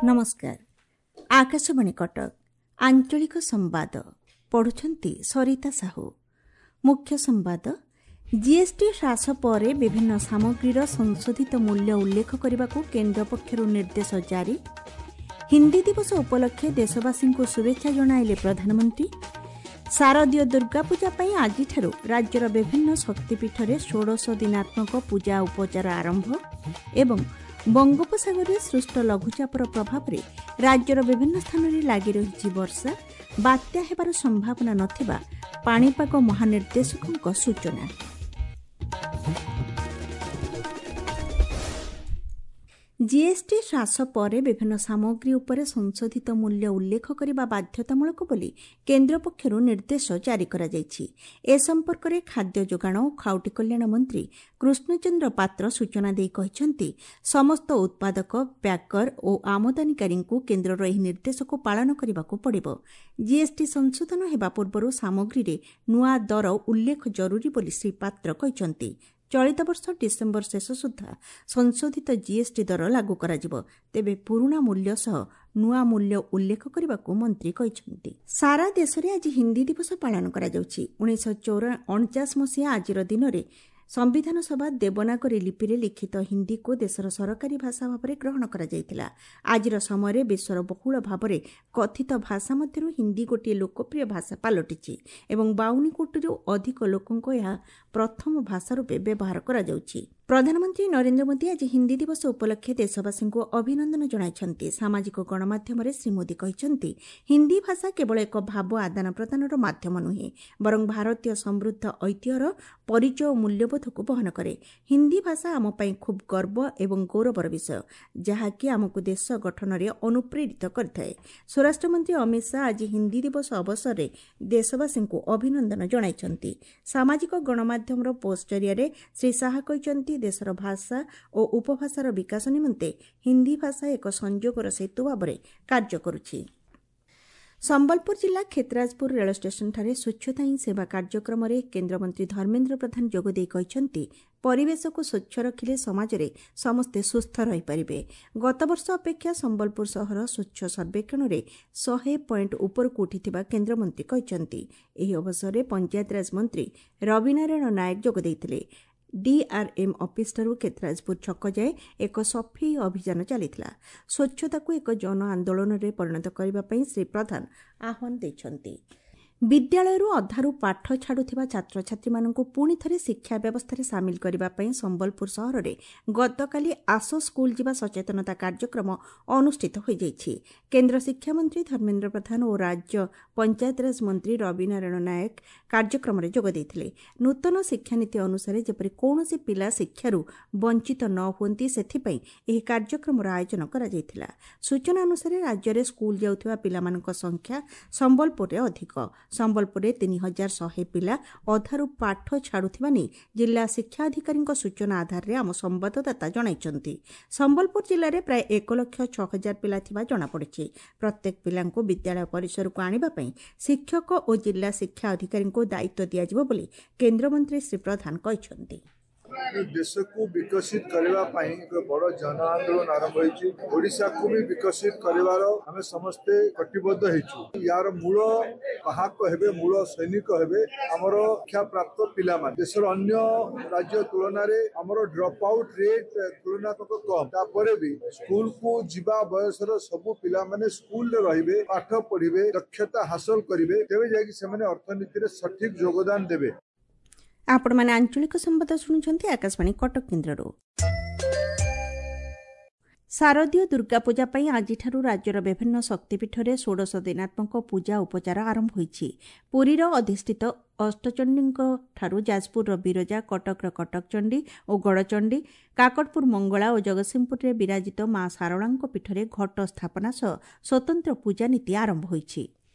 ନମସ୍କାର, ଆକାଶବାଣୀ କଟକ, ଆଞ୍ଚଳିକ ସମ୍ବାଦ ପଢ଼ୁଛନ୍ତି ସରିତା ସାହୁ। ମୁଖ୍ୟ ସମ୍ବାଦ। ଜିଏସ୍ଟି ହ୍ରାସ ପରେ ବିଭିନ୍ନ ସାମଗ୍ରୀର ସଂଶୋଧିତ ମୂଲ୍ୟ ଉଲ୍ଲେଖ କରିବାକୁ କେନ୍ଦ୍ର ପକ୍ଷରୁ ନିର୍ଦ୍ଦେଶ ଜାରି। ହିନ୍ଦୀ ଦିବସ ଉପଲକ୍ଷେ ଦେଶବାସୀଙ୍କୁ ଶୁଭେଚ୍ଛା ଜଣାଇଲେ ପ୍ରଧାନମନ୍ତ୍ରୀ। ଶାରଦୀୟ ଦୁର୍ଗାପୂଜା ପାଇଁ ଆଜିଠାରୁ ରାଜ୍ୟର ବିଭିନ୍ନ ଶକ୍ତିପୀଠରେ ଷୋଡ଼ଶ ଦିନାତ୍ମକ ପୂଜା ଉପଚାର ଆରମ୍ଭ ଏବଂ ବଙ୍ଗୋପସାଗରରେ ସୃଷ୍ଟ ଲଘୁଚାପର ପ୍ରଭାବରେ ରାଜ୍ୟର ବିଭିନ୍ନ ସ୍ଥାନରେ ଲାଗି ରହିଛି ବର୍ଷା। ବାତ୍ୟା ହେବାର ସମ୍ଭାବନା ନଥିବା ପାଣିପାଗ ମହାନିର୍ଦ୍ଦେଶକଙ୍କ ସୂଚନା। ଜିଏସ୍ଟି ହ୍ରାସ ପରେ ବିଭିନ୍ନ ସାମଗ୍ରୀ ଉପରେ ସଂଶୋଧିତ ମୂଲ୍ୟ ଉଲ୍ଲେଖ କରିବା ବାଧ୍ୟତାମୂଳକ ବୋଲି କେନ୍ଦ୍ର ପକ୍ଷରୁ ନିର୍ଦ୍ଦେଶ ଜାରି କରାଯାଇଛି। ଏ ସମ୍ପର୍କରେ ଖାଦ୍ୟ ଯୋଗାଣ ଓ ଖାଉଟି କଲ୍ୟାଣ ମନ୍ତ୍ରୀ କୃଷ୍ଣଚନ୍ଦ୍ର ପାତ୍ର ସୂଚନା ଦେଇ କହିଛନ୍ତି, ସମସ୍ତ ଉତ୍ପାଦକ, ପ୍ୟାକର ଓ ଆମଦାନୀକାରୀଙ୍କୁ କେନ୍ଦ୍ରର ଏହି ନିର୍ଦ୍ଦେଶକୁ ପାଳନ କରିବାକୁ ପଡ଼ିବ। ଜିଏସ୍ଟି ସଂଶୋଧନ ହେବା ପୂର୍ବରୁ ସାମଗ୍ରୀରେ ନୂଆ ଦର ଉଲ୍ଲେଖ ଜରୁରୀ ବୋଲି ଶ୍ରୀ ପାତ୍ର କହିଛନ୍ତି। ଚଳିତ ବର୍ଷ ଡିସେମ୍ବର ଶେଷ ସୁଦ୍ଧା ସଂଶୋଧିତ ଜିଏସ୍ଟି ଦର ଲାଗୁ କରାଯିବ। ତେବେ ପୁରୁଣା ମୂଲ୍ୟ ସହ ନୂଆ ମୂଲ୍ୟ ଉଲ୍ଲେଖ କରିବାକୁ ମନ୍ତ୍ରୀ କହିଛନ୍ତି। ସାରା ଦେଶରେ ଆଜି ହିନ୍ଦୀ ଦିବସ ପାଳନ କରାଯାଉଛି। 1949 ମସିହା ଆଜିର ଦିନରେ ସମ୍ବିଧାନ ସଭା ଦେବନାଗରୀ ଲିପିରେ ଲିଖିତ ହିନ୍ଦୀକୁ ଦେଶର ସରକାରୀ ଭାଷା ଭାବରେ ଗ୍ରହଣ କରାଯାଇଥିଲା। ଆଜିର ସମୟରେ ବିଶ୍ୱର ବହୁଳ ଭାବରେ କଥିତ ଭାଷା ମଧ୍ୟରୁ ହିନ୍ଦୀ ଗୋଟିଏ ଲୋକପ୍ରିୟ ଭାଷା ପାଲଟିଛି ଏବଂ 52 କୋଟିରୁ ଅଧିକ ଲୋକଙ୍କ ଏହା ପ୍ରଥମ ଭାଷା ରୂପେ ବ୍ୟବହାର କରାଯାଉଛି। ପ୍ରଧାନମନ୍ତ୍ରୀ ନରେନ୍ଦ୍ର ମୋଦି ଆଜି ହିନ୍ଦୀ ଦିବସ ଉପଲକ୍ଷେ ଦେଶବାସୀଙ୍କୁ ଅଭିନନ୍ଦନ ଜଣାଇଛନ୍ତି। ସାମାଜିକ ଗଣମାଧ୍ୟମରେ ଶ୍ରୀ ମୋଦି କହିଛନ୍ତି, ହିନ୍ଦୀ ଭାଷା କେବଳ ଏକ ଭାବ ଆଦାନ ପ୍ରଦାନର ମାଧ୍ୟମ ନୁହେଁ, ବରଂ ଭାରତୀୟ ସମୃଦ୍ଧ ଐତିହ୍ୟର ପରିଚୟ ଓ ମୂଲ୍ୟବୋଧକୁ ବହନ କରେ। ହିନ୍ଦୀ ଭାଷା ଆମ ପାଇଁ ଖୁବ୍ ଗର୍ବ ଏବଂ ଗୌରବର ବିଷୟ, ଯାହାକି ଆମକୁ ଦେଶ ଗଠନରେ ଅନୁପ୍ରେରିତ କରିଥାଏ। ସ୍ୱରାଷ୍ଟ୍ରମନ୍ତ୍ରୀ ଅମିତ ଶାହା ଆଜି ହିନ୍ଦୀ ଦିବସ ଅବସରରେ ଦେଶବାସୀଙ୍କୁ ଅଭିନନ୍ଦନ ଜଣାଇଛନ୍ତି। ସାମାଜିକ ଗଣମାଧ୍ୟମର ପୋଷ୍ଟ ଜରିଆରେ ଶ୍ରୀ ଶାହା କହିଛନ୍ତି, ଦେଶର ଭାଷା ଓ ଉପଭାଷାର ବିକାଶ ନିମନ୍ତେ ହିନ୍ଦୀ ଭାଷା ଏକ ସଂଯୋଗର ସେତୁ ଭାବରେ କାର୍ଯ୍ୟ କରୁଛି। ସମ୍ବଲପୁର ଜିଲ୍ଲା କ୍ଷେତ୍ରାଜପୁର ରେଳ ଷ୍ଟେସନଠାରେ ସ୍ୱଚ୍ଛତା ହିଁ ସେବା କାର୍ଯ୍ୟକ୍ରମରେ କେନ୍ଦ୍ରମନ୍ତ୍ରୀ ଧର୍ମେନ୍ଦ୍ର ପ୍ରଧାନ ଯୋଗଦେଇ କହିଛନ୍ତି, ପରିବେଶକୁ ସ୍ୱଚ୍ଛ ରଖିଲେ ସମାଜରେ ସମସ୍ତେ ସୁସ୍ଥ ରହିପାରିବେ। ଗତବର୍ଷ ଅପେକ୍ଷା ସମ୍ବଲପୁର ସହର ସ୍ୱଚ୍ଛ ସର୍ବେକ୍ଷଣରେ 100 ପଏଣ୍ଟ ଉପରକୁ ଉଠିଥିବା କେନ୍ଦ୍ରମନ୍ତ୍ରୀ କହିଛନ୍ତି। ଏହି ଅବସରରେ ପଞ୍ଚାୟତିରାଜ ମନ୍ତ୍ରୀ ରବିନାରାୟଣ ନାୟକ ଯୋଗ ଦେଇଥିଲେ। ଡିଆର୍ଏମ୍ ଅଫିସଠାରୁ କ୍ଷେତ୍ରାଜପୁର ଛକ ଯାଏ ଏକ ସଫେଇ ଅଭିଯାନ ଚାଲିଥିଲା। ସ୍ୱଚ୍ଛତାକୁ ଏକ ଜନ ଆନ୍ଦୋଳନରେ ପରିଣତ କରିବା ପାଇଁ ଶ୍ରୀ ପ୍ରଧାନ ଆହ୍ୱାନ ଦେଇଛନ୍ତି। ବିଦ୍ୟାଳୟରୁ ଅଧାରୁ ପାଠ ଛାଡୁଥିବା ଛାତ୍ରଛାତ୍ରୀମାନଙ୍କୁ ପୁଣି ଥରେ ଶିକ୍ଷା ବ୍ୟବସ୍ଥାରେ ସାମିଲ କରିବା ପାଇଁ ସମ୍ବଲପୁର ସହରରେ ଗତକାଲି ଆସ ସ୍କୁଲ ଯିବା ସଚେତନତା କାର୍ଯ୍ୟକ୍ରମ ଅନୁଷ୍ଠିତ ହୋଇଯାଇଛି। କେନ୍ଦ୍ର ଶିକ୍ଷାମନ୍ତ୍ରୀ ଧର୍ମେନ୍ଦ୍ର ପ୍ରଧାନ ଓ ରାଜ୍ୟ ପଞ୍ଚାୟତିରାଜ ମନ୍ତ୍ରୀ ରବିନାରାୟଣ ନାୟକ କାର୍ଯ୍ୟକ୍ରମରେ ଯୋଗ ଦେଇଥିଲେ। ନୂତନ ଶିକ୍ଷାନୀତି ଅନୁସାରେ ଯେପରି କୌଣସି ପିଲା ଶିକ୍ଷାରୁ ବଞ୍ଚିତ ନ ହୁଅନ୍ତି, ସେଥିପାଇଁ ଏହି କାର୍ଯ୍ୟକ୍ରମର ଆୟୋଜନ କରାଯାଇଥିଲା। ସୂଚନା ଅନୁସାରେ ରାଜ୍ୟରେ ସ୍କୁଲ ଯାଉଥିବା ପିଲାମାନଙ୍କ ସଂଖ୍ୟା ସମ୍ବଲପୁରରେ ଅଧିକ। ସମ୍ବଲପୁରରେ 3100 ପିଲା ଅଧାରୁ ପାଠ ଛାଡୁଥିବା ନେଇ ଜିଲ୍ଲା ଶିକ୍ଷା ଅଧିକାରୀଙ୍କ ସୂଚନା ଆଧାରରେ ଆମ ସମ୍ବାଦଦାତା ଜଣାଇଛନ୍ତି। ସମ୍ବଲପୁର ଜିଲ୍ଲାରେ ପ୍ରାୟ 1,06,000 ପିଲା ଥିବା ଜଣାପଡ଼ିଛି। ପ୍ରତ୍ୟେକ ପିଲାଙ୍କୁ ବିଦ୍ୟାଳୟ ପରିସରକୁ ଆଣିବା ପାଇଁ ଶିକ୍ଷକ ଓ ଜିଲ୍ଲା ଶିକ୍ଷା ଅଧିକାରୀଙ୍କୁ ଦାୟିତ୍ୱ ଦିଆଯିବ ବୋଲି କେନ୍ଦ୍ରମନ୍ତ୍ରୀ ଶ୍ରୀ ପ୍ରଧାନ କହିଛନ୍ତି। ଦେଶକୁ ବିକଶିତ କରିବା ପାଇଁ ଏକ ବଡ଼ ଜନ ଆନ୍ଦୋଳନ ଆରମ୍ଭ ହୋଇଛି। ଓଡ଼ିଶାକୁ ବି ବିକଶିତ କରିବାର ଆମେ ସମସ୍ତେ କଟିବଦ୍ଧ ହେଇଛୁ। ୟାର ମୂଳ ବାହକ ହେବେ, ମୂଳ ସୈନିକ ହେବେ ଆମର ଶିକ୍ଷାପ୍ରାପ୍ତ ପିଲାମାନେ। ଦେଶର ଅନ୍ୟ ରାଜ୍ୟ ତୁଳନାରେ ଆମର ଡ୍ରପ୍ ଆଉଟ୍ ରେଟ୍ ତୁଳନାତ୍ମକ କମ୍। ତାପରେ ବି ସ୍କୁଲକୁ ଯିବା ବୟସର ସବୁ ପିଲାମାନେ ସ୍କୁଲରେ ରହିବେ, ପାଠ ପଢିବେ, ଦକ୍ଷତା ହାସଲ କରିବେ, ତେବେ ଯାଇକି ସେମାନେ ଅର୍ଥନୀତିରେ ସଠିକ ଯୋଗଦାନ ଦେବେ। ଆପଣମାନେ ଆଞ୍ଚଳିକ ସମ୍ବାଦ ଶୁଣୁଛନ୍ତି ଆକାଶବାଣୀ କଟକ କେନ୍ଦ୍ରରୁ। ଶାରଦୀୟ ଦୁର୍ଗାପୂଜା ପାଇଁ ଆଜିଠାରୁ ରାଜ୍ୟର ବିଭିନ୍ନ ଶକ୍ତିପୀଠରେ ଷୋଡ଼ଶ ଦିନାତ୍ମକ ପୂଜା ଉପଚାର ଆରମ୍ଭ ହୋଇଛି। ପୁରୀର ଅଧିଷ୍ଠିତ ଅଷ୍ଟଚଣ୍ଡୀଙ୍କଠାରୁ ଯାଜପୁରର ବିରଜା, କଟକର କଟକଚଣ୍ଡୀ ଓ ଗଡ଼ଚଣ୍ଡୀ, କାକଟପୁର ମଙ୍ଗଳା ଓ ଜଗତସିଂହପୁରରେ ବିରାଜିତ ମା ଶାରଳାଙ୍କ ପୀଠରେ ଘଟ ସ୍ଥାପନା ସହ ସ୍ୱତନ୍ତ୍ର ପୂଜାନୀତି ଆରମ୍ଭ ହୋଇଛି।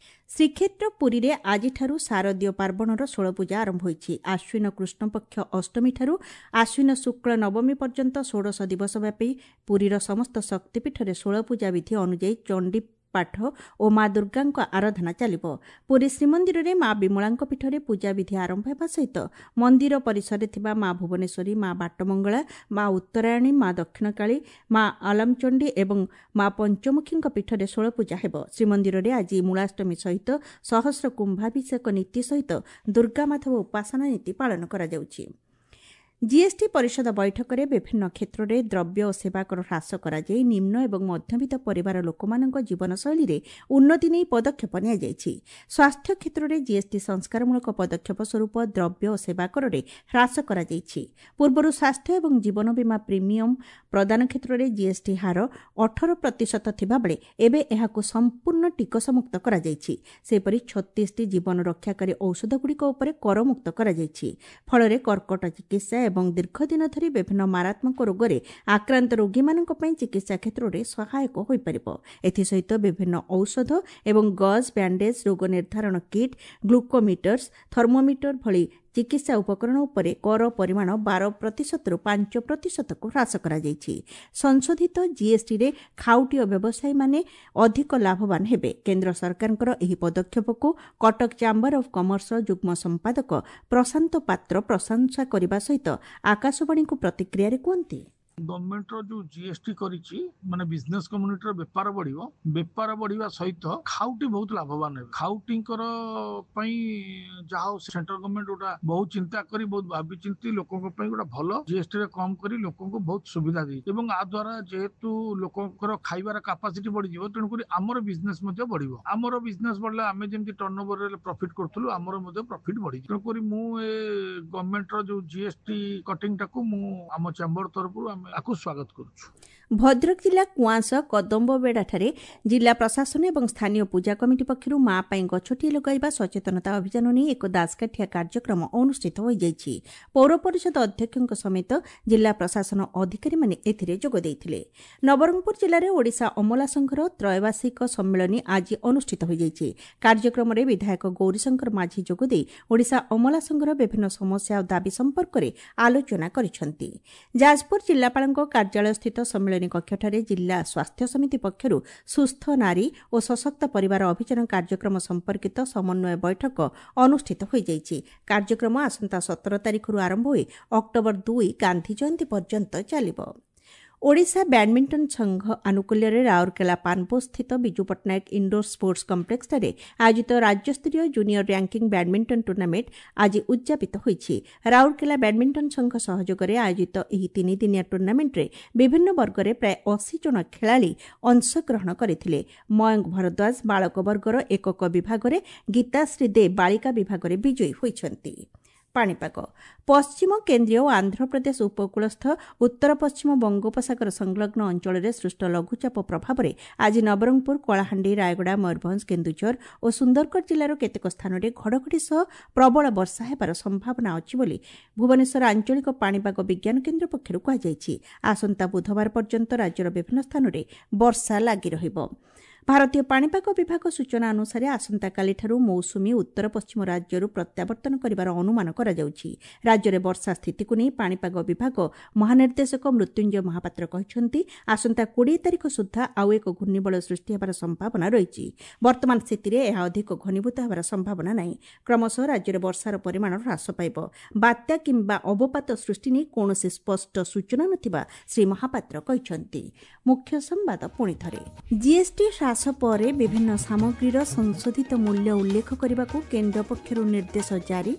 ଶ୍ରୀକ୍ଷେତ୍ର ପୁରୀରେ ଆଜିଠାରୁ ଶାରଦୀୟ ପାର୍ବଣର ଷୋଳପୂଜା ଆରମ୍ଭ ହୋଇଛି। ଆଶ୍ୱିନ କୃଷ୍ଣପକ୍ଷ ଅଷ୍ଟମୀଠାରୁ ଆଶ୍ୱିନ ଶୁକ୍ଳ ନବମୀ ପର୍ଯ୍ୟନ୍ତ ଷୋଡ଼ଶ ଦିବସ ବ୍ୟାପୀ ପୁରୀର ସମସ୍ତ ଶକ୍ତିପୀଠରେ ଷୋଳପୂଜା ବିଧି ଅନୁଯାୟୀ ଚଣ୍ଡୀ ପାଠ ଓ ମା ଦୁର୍ଗାଙ୍କ ଆରାଧନା ଚାଲିବ। ପୁରୀ ଶ୍ରୀମନ୍ଦିରରେ ମା ବିମଳାଙ୍କ ପୀଠରେ ପୂଜାବିଧି ଆରମ୍ଭ ହେବା ସହିତ ମନ୍ଦିର ପରିସରରେ ଥିବା ମା ଭୁବନେଶ୍ୱରୀ, ମା ବାଟମଙ୍ଗଳା, ମା ଉତ୍ତରାୟଣୀ, ମା ଦକ୍ଷିଣକାଳୀ, ମା ଆଲାମଚଣ୍ଡୀ ଏବଂ ମା ପଞ୍ଚମୁଖୀଙ୍କ ପୀଠରେ ଷୋଳପୂଜା ହେବ। ଶ୍ରୀମନ୍ଦିରରେ ଆଜି ମୂଳାଷ୍ଟମୀ ସହିତ ସହସ୍ର କୁମ୍ଭାଭିଷେକ ନୀତି ସହିତ ଦୁର୍ଗାମାଧବ ଉପାସନା ନୀତି ପାଳନ କରାଯାଉଛି। ଜିଏସ୍ଟି ପରିଷଦ ବୈଠକରେ ବିଭିନ୍ନ କ୍ଷେତ୍ରରେ ଦ୍ରବ୍ୟ ଓ ସେବା କର ହ୍ରାସ କରାଯାଇ ନିମ୍ନ ଏବଂ ମଧ୍ୟବିତ୍ତ ପରିବାର ଲୋକମାନଙ୍କ ଜୀବନଶୈଳୀରେ ଉନ୍ନତି ନେଇ ପଦକ୍ଷେପ ନିଆଯାଇଛି। ସ୍ୱାସ୍ଥ୍ୟ କ୍ଷେତ୍ରରେ ଜିଏସ୍ଟି ସଂସ୍କାରମୂଳକ ପଦକ୍ଷେପ ସ୍ୱରୂପ ଦ୍ରବ୍ୟ ଓ ସେବା କରରେ ହ୍ରାସ କରାଯାଇଛି। ପୂର୍ବରୁ ସ୍ୱାସ୍ଥ୍ୟ ଏବଂ ଜୀବନ ବୀମା ପ୍ରିମିୟମ ପ୍ରଦାନ କ୍ଷେତ୍ରରେ ଜିଏସ୍ଟି ହାର 18% ଥିବାବେଳେ ଏବେ ଏହାକୁ ସମ୍ପୂର୍ଣ୍ଣ ଟିକସମୁକ୍ତ କରାଯାଇଛି। ସେହିପରି 36ଟି ଜୀବନ ରକ୍ଷାକାରୀ ଔଷଧଗୁଡ଼ିକ ଉପରେ କରମୁକ୍ତ କରାଯାଇଛି। ଫଳରେ କର୍କଟ ଚିକିତ୍ସା ଏବଂ ଦୀର୍ଘଦିନ ଧରି ବିଭିନ୍ନ ମାରାତ୍ମକ ରୋଗରେ ଆକ୍ରାନ୍ତ ରୋଗୀମାନଙ୍କ ପାଇଁ ଚିକିତ୍ସା କ୍ଷେତ୍ରରେ ସହାୟକ ହୋଇପାରିବ। ଏଥିସହିତ ବିଭିନ୍ନ ଔଷଧ ଏବଂ ଗଜ୍, ବ୍ୟାଣ୍ଡେଜ୍, ରୋଗ ନିର୍ଦ୍ଧାରଣ କିଟ୍, ଗ୍ଲୁକୋମିଟର୍ସ, ଥର୍ମୋମିଟର ଭଳି ଚିକିତ୍ସା ଉପକରଣ ଉପରେ କର ପରିମାଣ 12%ରୁ 5%କୁ ହ୍ରାସ କରାଯାଇଛି। ସଂଶୋଧିତ ଜିଏସ୍ଟିରେ ଖାଉଟି ଓ ବ୍ୟବସାୟୀମାନେ ଅଧିକ ଲାଭବାନ ହେବେ। କେନ୍ଦ୍ର ସରକାରଙ୍କର ଏହି ପଦକ୍ଷେପକୁ କଟକ ଚାମ୍ବର ଅଫ୍ କମର୍ସର ଯୁଗ୍ମ ସମ୍ପାଦକ ପ୍ରଶାନ୍ତ ପାତ୍ର ପ୍ରଶଂସା କରିବା ସହିତ ଆକାଶବାଣୀକୁ ପ୍ରତିକ୍ରିୟାରେ କୁହନ୍ତି, ଗଭର୍ଣ୍ଣମେଣ୍ଟର ଯୋଉ ଜିଏସଟି କରିଛି, ମାନେ ବିଜନେସ କମ୍ୟୁନିଟିର ବେପାର ବଢିବ। ବେପାର ବଢିବା ସହିତ ଖାଉଟି ବହୁତ ଲାଭବାନ ହେବେ। ଖାଉଟିଙ୍କର ପାଇଁ ଯାହା ହଉ ସେଣ୍ଟ୍ରାଲ ଗଭର୍ଣ୍ଣମେଣ୍ଟ ଗୋଟା ବହୁତ ଚିନ୍ତା କରି, ବହୁତ ଭାବି ଚିନ୍ତି ଲୋକଙ୍କ ପାଇଁ ଗୋଟେ ଭଲ ଜିଏସଟି ରେ କମ କରି ଲୋକଙ୍କୁ ବହୁତ ସୁବିଧା ଦେଇଛି। ଏବଂ ଆ ଦ୍ୱାରା ଯେହେତୁ ଲୋକଙ୍କର ଖାଇବାର କାପାସିଟି ବଢିଯିବ, ତେଣୁକରି ଆମର ବିଜନେସ ମଧ୍ୟ ବଢିବ। ଆମର ବିଜନେସ ବଢିଲେ ଆମେ ଯେମିତି ଟର୍ନ ଓଭରରେ ପ୍ରଫିଟ କରୁଥିଲୁ, ଆମର ମଧ୍ୟ ପ୍ରଫିଟ ବଢିଯିବ। ତେଣୁକରି ମୁଁ ଏ ଗଭର୍ଣ୍ଣମେଣ୍ଟର ଯୋଉ ଜିଏସଟି କଟିଂ ଟାକୁ ମୁଁ ଆମ ଚାମ୍ବର ତରଫରୁ ଆମେ ଆକୁ ସ୍ୱାଗତ କରୁଛୁ। ଭଦ୍ରକ ଜିଲ୍ଲା କୁଆଁସ କଦମ୍ବବେଡ଼ାଠାରେ ଜିଲ୍ଲା ପ୍ରଶାସନ ଏବଂ ସ୍ଥାନୀୟ ପୂଜା କମିଟି ପକ୍ଷରୁ ମା ପାଇଁ ଗଛଟିଏ ଲଗାଇବା ସଚେତନତା ଅଭିଯାନ ନେଇ ଏକ ଦାସକାଠିଆ କାର୍ଯ୍ୟକ୍ରମ ଅନୁଷ୍ଠିତ ହୋଇଯାଇଛି। ପୌର ପରିଷଦ ଅଧ୍ୟକ୍ଷଙ୍କ ସମେତ ଜିଲ୍ଲା ପ୍ରଶାସନ ଅଧିକାରୀମାନେ ଏଥିରେ ଯୋଗ ଦେଇଥିଲେ। ନବରଙ୍ଗପୁର ଜିଲ୍ଲାରେ ଓଡ଼ିଶା ଅମଲା ସଂଘର ତ୍ରୟବାର୍ଷିକ ସମ୍ମିଳନୀ ଆଜି ଅନୁଷ୍ଠିତ ହୋଇଯାଇଛି। କାର୍ଯ୍ୟକ୍ରମରେ ବିଧାୟକ ଗୌରୀଶଙ୍କର ମାଝୀ ଯୋଗଦେଇ ଓଡ଼ିଶା ଅମଲା ସଂଘର ବିଭିନ୍ନ ସମସ୍ୟା ଓ ଦାବି ସମ୍ପର୍କରେ ଆଲୋଚନା କରିଛନ୍ତି। ଯାଜପୁର ଜିଲ୍ଲାପାଳଙ୍କ କାର୍ଯ୍ୟାଳୟସ୍ଥିତ ସମ୍ମିଳନୀ କକ୍ଷଠାରେ ଜିଲ୍ଲା ସ୍ୱାସ୍ଥ୍ୟ ସମିତି ପକ୍ଷରୁ ସୁସ୍ଥ ନାରୀ ଓ ସଶକ୍ତ ପରିବାର ଅଭିଯାନ କାର୍ଯ୍ୟକ୍ରମ ସମ୍ପର୍କିତ ସମନ୍ୱୟ ବୈଠକ ଅନୁଷ୍ଠିତ ହୋଇଯାଇଛି। କାର୍ଯ୍ୟକ୍ରମ ଆସନ୍ତା 17 ତାରିଖରୁ ଆରମ୍ଭ ହୋଇ ଅକ୍ଟୋବର 2 ଗାନ୍ଧୀ ଜୟନ୍ତୀ ପର୍ଯ୍ୟନ୍ତ ଚାଲିବ। ଓଡ଼ିଶା ବ୍ୟାଡମିଣ୍ଟନ ସଂଘ ଆନୁକୂଲ୍ୟରେ ରାଉରକେଲା ପାନପୋଷସ୍ଥିତ ବିଜୁ ପଟ୍ଟନାୟକ ଇଣ୍ଡୋର ସ୍ପୋର୍ଟସ କମ୍ପ୍ଲେକ୍ସଠାରେ ଆୟୋଜିତ ରାଜ୍ୟସ୍ତରୀୟ ଜୁନିୟର ର୍ୟାଙ୍କିଙ୍ଗ ବ୍ୟାଡମିଣ୍ଟନ ଟୁର୍ଣ୍ଣାମେଣ୍ଟ ଆଜି ଉଦ୍ଯାପିତ ହୋଇଛି। ରାଉରକେଲା ବ୍ୟାଡମିଣ୍ଟନ ସଂଘ ସହଯୋଗରେ ଆୟୋଜିତ ଏହି ତିନିଦିନିଆ ଟୁର୍ଣ୍ଣାମେଣ୍ଟରେ ବିଭିନ୍ନ ବର୍ଗରେ ପ୍ରାୟ 80 ଜଣ ଖେଳାଳି ଅଂଶଗ୍ରହଣ କରିଥିଲେ। ମୟଙ୍କ ଭରଦ୍ୱାଜ ବାଳକ ବର୍ଗର ଏକକ ବିଭାଗରେ, ଗୀତାଶ୍ରୀ ଦେ ବାଳିକା ବିଭାଗରେ ବିଜୟୀ ହୋଇଛନ୍ତି। ପାଣିପାଗ। ପଶ୍ଚିମ କେନ୍ଦ୍ରୀୟ ଓ ଆନ୍ଧ୍ରପ୍ରଦେଶ ଉପକୂଳସ୍ଥ ଉତ୍ତର ପଶ୍ଚିମ ବଙ୍ଗୋପସାଗର ସଂଲଗ୍ନ ଅଞ୍ଚଳରେ ସୃଷ୍ଟ ଲଘୁଚାପ ପ୍ରଭାବରେ ଆଜି ନବରଙ୍ଗପୁର, କଳାହାଣ୍ଡି, ରାୟଗଡ଼ା, ମୟୂରଭଞ୍ଜ, କେନ୍ଦୁଝର ଓ ସୁନ୍ଦରଗଡ଼ ଜିଲ୍ଲାର କେତେକ ସ୍ଥାନରେ ଘଡ଼ଘଡ଼ି ସହ ପ୍ରବଳ ବର୍ଷା ହେବାର ସମ୍ଭାବନା ଅଛି ବୋଲି ଭୁବନେଶ୍ୱର ଆଞ୍ଚଳିକ ପାଣିପାଗ ବିଜ୍ଞାନ କେନ୍ଦ୍ର ପକ୍ଷରୁ କୁହାଯାଇଛି। ଆସନ୍ତା ବୁଧବାର ପର୍ଯ୍ୟନ୍ତ ରାଜ୍ୟର ବିଭିନ୍ନ ସ୍ଥାନରେ ବର୍ଷା ଲାଗି ରହିବ। ଭାରତୀୟ ପାଣିପାଗ ବିଭାଗ ସୂଚନା ଅନୁସାରେ ଆସନ୍ତାକାଲିଠାରୁ ମୌସୁମୀ ଉତ୍ତର ପଶ୍ଚିମ ରାଜ୍ୟରୁ ପ୍ରତ୍ୟାବର୍ତ୍ତନ କରିବାର ଅନୁମାନ କରାଯାଉଛି। ରାଜ୍ୟରେ ବର୍ଷା ସ୍ଥିତିକୁ ନେଇ ପାଣିପାଗ ବିଭାଗ ମହାନିର୍ଦ୍ଦେଶକ ମୃତ୍ୟୁଞ୍ଜୟ ମହାପାତ୍ର କହିଛନ୍ତି, ଆସନ୍ତା 20 ତାରିଖ ସୁଦ୍ଧା ଆଉ ଏକ ଘୂର୍ଣ୍ଣିବଳୟ ସୃଷ୍ଟି ହେବାର ସମ୍ଭାବନା ରହିଛି। ବର୍ତ୍ତମାନ ସ୍ଥିତିରେ ଏହା ଅଧିକ ଘନୀଭୂତ ହେବାର ସମ୍ଭାବନା ନାହିଁ। କ୍ରମଶଃ ରାଜ୍ୟରେ ବର୍ଷାର ପରିମାଣ ହ୍ରାସ ପାଇବ। ବାତ୍ୟା କିମ୍ବା ଅବପାତ ସୃଷ୍ଟି ନେଇ କୌଣସି ସ୍ପଷ୍ଟ ସୂଚନା ନଥିବା ଶ୍ରୀ ମହାପାତ୍ର କହିଛନ୍ତି। ମୁଖ୍ୟ ସମ୍ବାଦ ପୁଣି ଥରେ। ଜିଏସ୍ଟି ହ୍ରାସ ପରେ ବିଭିନ୍ନ ସାମଗ୍ରୀର ସଂଶୋଧିତ ମୂଲ୍ୟ ଉଲ୍ଲେଖ କରିବାକୁ କେନ୍ଦ୍ର ପକ୍ଷରୁ ନିର୍ଦ୍ଦେଶ ଜାରି।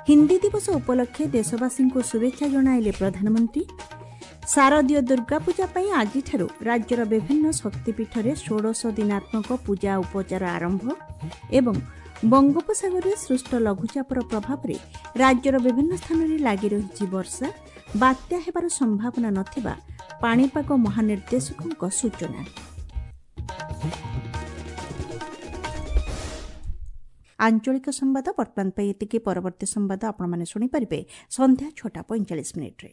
ହିନ୍ଦୀ ଦିବସ ଉପଲକ୍ଷେ ଦେଶବାସୀଙ୍କୁ ଶୁଭେଚ୍ଛା ଜଣାଇଲେ ପ୍ରଧାନମନ୍ତ୍ରୀ। ଶାରଦୀୟ ଦୁର୍ଗାପୂଜା ପାଇଁ ଆଜିଠାରୁ ରାଜ୍ୟର ବିଭିନ୍ନ ଶକ୍ତିପୀଠରେ ଷୋଡ଼ଶ ଦିନାତ୍ମକ ପୂଜା ଉପଚାର ଆରମ୍ଭ ଏବଂ ବଙ୍ଗୋପସାଗରରେ ସୃଷ୍ଟ ଲଘୁଚାପର ପ୍ରଭାବରେ ରାଜ୍ୟର ବିଭିନ୍ନ ସ୍ଥାନରେ ଲାଗି ରହିଛି ବର୍ଷା। ବାତ୍ୟା ହେବାର ସମ୍ଭାବନା ନଥିବା ପାଣିପାଗ ମହାନିର୍ଦ୍ଦେଶକଙ୍କ ସୂଚନା। ଆଞ୍ଚଳିକ ସମ୍ବାଦ ବର୍ତ୍ତମାନ ପାଇଁ ଏତିକି। ପରବର୍ତ୍ତୀ ସମ୍ବାଦ ଆପଣମାନେ ଶୁଣିପାରିବେ ସନ୍ଧ୍ୟା 6ଟା 45 ମିନିଟ୍ରେ।